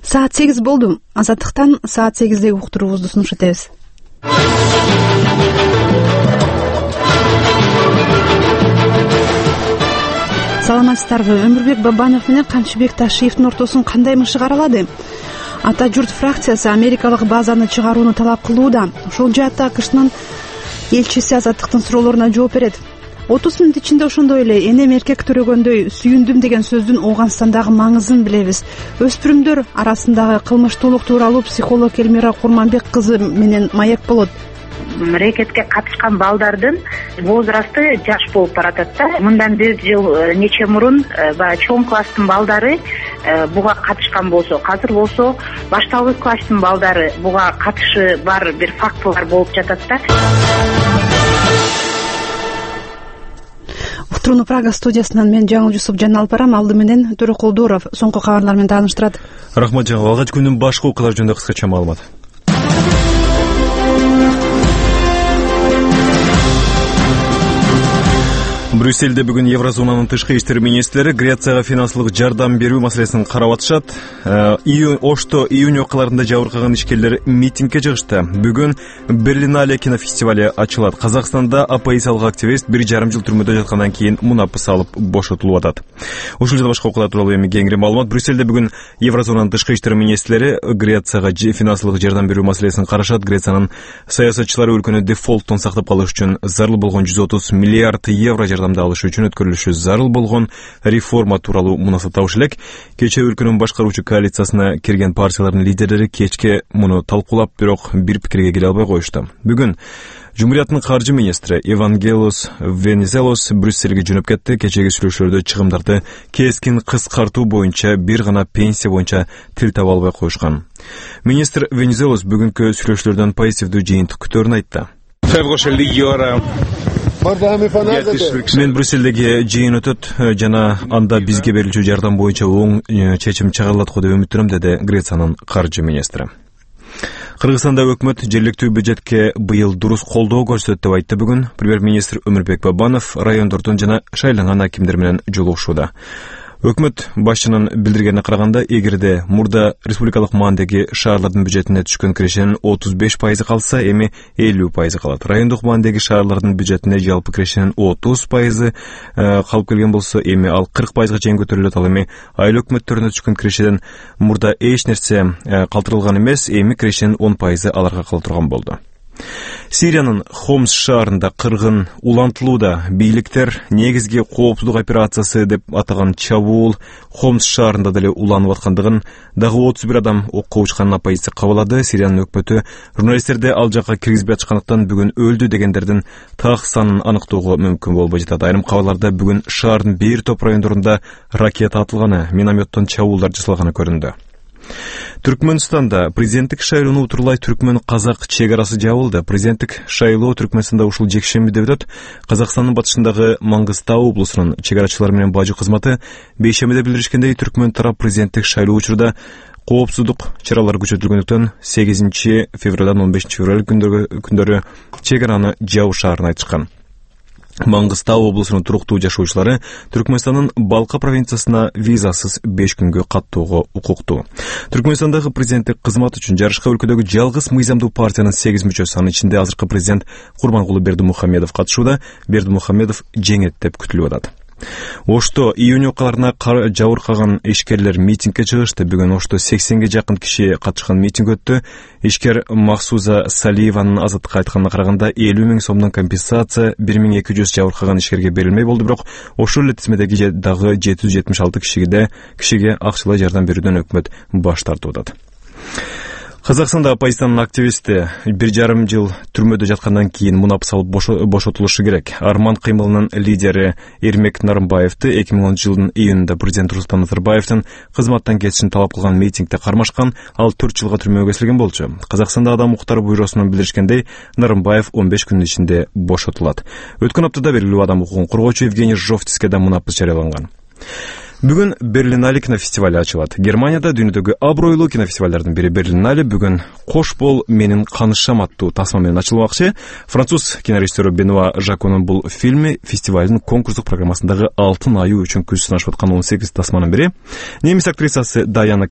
Саат 8 болду. Азаттыктан саат 8деги уктуруубузду сунуш этебиз. Саламатсыздарбы? Өмүрбек Бабанов менен Камчыбек Ташиевдин ортосун кандай мышык аралады? Ата журт фракциясы америкалык базаны чыгарууну талап кылууда. Ошол жаатта АКШнын элчиси Азаттыктын суроолоруна жооп берет. 30 мүнөт ичинде ошондой эле энем эркек төрөгөндөй сүйүндүм деген сөздүн Ооганстандагы маңызын билебиз. Өспүрүмдөр арасындагы кылмыштуулук тууралуу психолог Элмира Курманбек кызы менен маек болот. Рекетке катышкан балдардын возрасты жаш болуп баратат да. Мындан бир жыл нече мурун баягы чоң класстын балдары буга катышкан болсо, азыр болсо башталгыч класстын балдары буга катышы бар бир фактылар болуп жатат да. Уктурууну Прага студиясынан мен Жаңыл Жусупжан алып барам. Алды менен Төрөкул Дуров соңку кабарлар менен тааныштырат. Рахмат Жаңыл. Алгач күндүн башкы окуялары жөнүндө кыскача маалымат. Брюссельде бүгүн Еврозонанын тышкы иштер министрлери Грецияга финансылык жардам берүү маселесин карап атышат. Ошто июнь окуяларында жабыркаган ишкерлер митингге чыгышты. Бүгүн Берлинале кинофестивали ачылат. Казакстанда оппозициялык активист 1,5 жыл түрмөдө жаткандан кийин мунапыс алып бошотулуп атат. Ушул жана башка окуялар тууралуу эми кеңири маалымат. Брюссельде бүгүн Еврозонанын тышкы иштер министрлери Грецияга финансылык жардам берүү маселесин карашат. Грециянын саясатчылары өлкөнү дефолттон сактап калыш үчүн зарыл болгон 130 миллиард евро жардамды алыш үчүн өткөрүлүшү зарыл болгон реформа тууралуу мунасат табыш элек. Кечээ өлкөнүн башкаруучу коалициясына кирген партиялардын лидерлери кечке муну талкуулап, бирок бир пикирге келе албай коюшту. Бүгүн Жумурияттын каржы министри Евангелос Венизелос Брюссельге жөнөп кетти. Кечеги сүйлөшүүлөрдө чыгымдарды кескин кыскартуу боюнча бир гана пенсия боюнча тил таба албай коюшкан. Министр Венизелос бүгүнкү сүйлөшүүлөрдөн позитивдүү жыйынтык күтөөрүн айтты. Мен Брюссельдеги жыйын өтөт жана анда бизге берилчү жардам боюнча оң чечим чыгарылат го деп үмүттөнөм, деди Грециянын каржы министри. Кыргызстанда өкмөт жергиликтүү бюджетке быйыл дурус колдоо көрсөтөт деп айтты бүгүн премьер-министр Өмүрбек Бабанов райондордун жана шайланган акимдер менен жолугушууда. Өкмөт башчынын билдиргенине караганда, эгерде мурда республикалык маандеги шаарлардын бюджетине түшкөн кирешенин 35% калса, эми 50% калат. Райондук маандеги шаарлардын бюджетине жалпы кирешенин 30% калып келген болсо, эми ал 40%га чейин көтөрүлөт. Ал эми айыл өкмөттөрүнө түшкөн кирешеден мурда эч нерсе калтырылган эмес, эми кирешенин 10% аларга кала турган болду. Сириянын Хомс шаарында кыргын улантылууда. Бийликтер негизги коопсуздук операциясы деп атаган чабуул Хомс шаарында деле уланып аткандыгын, дагы 31 адам окко учканын оппозиция кабылады. Сириянын өкмөтү журналисттерди ал жакка киргизбей атышкандыктан бүгүн өлдү дегендердин так санын аныктоого мүмкүн болбой жатат. Айрым кабарларда бүгүн шаардын бир топ райондорунда ракета атылганы, минометтон чабуулдар жасалганы көрүндү. Түркмөнстанда президенттик шайлоону утурлай түркмөн-казак чек арасы жабылды. Президенттик шайлоо Түркмөнстанда ушул жекшембиде өтөт. Казакстандын батышындагы Маңгыстау облусунун чек арачылары менен бажы кызматы бейшембиде билдиришкендей, түркмөн тарап президенттик шайлоо учурда коопсуздук чаралары күчөтүлгөндүктөн 8 февралдан 15 февраль күндөрү чек араны жабышаарын айтышкан. Маңгыстау облусунун туруктуу жашоочулары Түркмөнстандын Балка провинциясына визасыз 5 күнгө каттоого укуктуу. Түркмөнстандагы президенттик кызмат үчүн жарышка өлкөдөгү жалгыз мыйзамдуу партиянын 8 мүчөсү, анын ичинде азыркы президент Курмангулы Бердимухамедов катышууда. Бердимухамедов жеңет деп күтүлүп атат. Ошто июнь окуяларына жабыркаган ишкерлер митингге чыгышты. Бүгүн Ошто 80ге жакын киши катышкан митинг өттү. Ишкер Максуза Салиеванын Азаттыкка айтканына караганда 50 000 сомдон компенсация 1200 жабыркаган ишкерге берилмей болду, бирок ошол эле тизмедеги дагы 776 кишиге акчалай жардам берүүдөн өкмөт баш тартып атат. Казакстанда оппозициянын активисти 1,5 жыл түрмөдө жаткандан кийин мунапыс алып бошотулушу керек. Арман кыймылынын лидери Эрмек Нарымбаевди 2010 жылдын июнунда президент Нурсултан Назарбаевдин кызматтан кетишин талап кылган митингде кармашкан. Ал 4 жылга түрмөгө кесилген болчу. Казакстанда Адам укуктары бюросунун билдиришкендей, Нарымбаев 15 күнүн ичинде бошотулат. Өткөн аптада белгилүү адам укугун коргоочу Евгений Жовтиске да мунапыс жарыяланган. Бүгүн Берлинале кинофестивали ачылат. Германияда дүйнөдөгү абройлуу кинофестивалдардын бири Берлинале бүгүн «Кош бол менин канышам» аттуу тасма менен ачылмакчы. Француз кинорежиссеру Бенуа Жаконун бул фильми фестивалдын конкурстук программасындагы алтын айуу үчүн күз сынашып аткан 18 тасманын бири. Немис актрисасы Даяна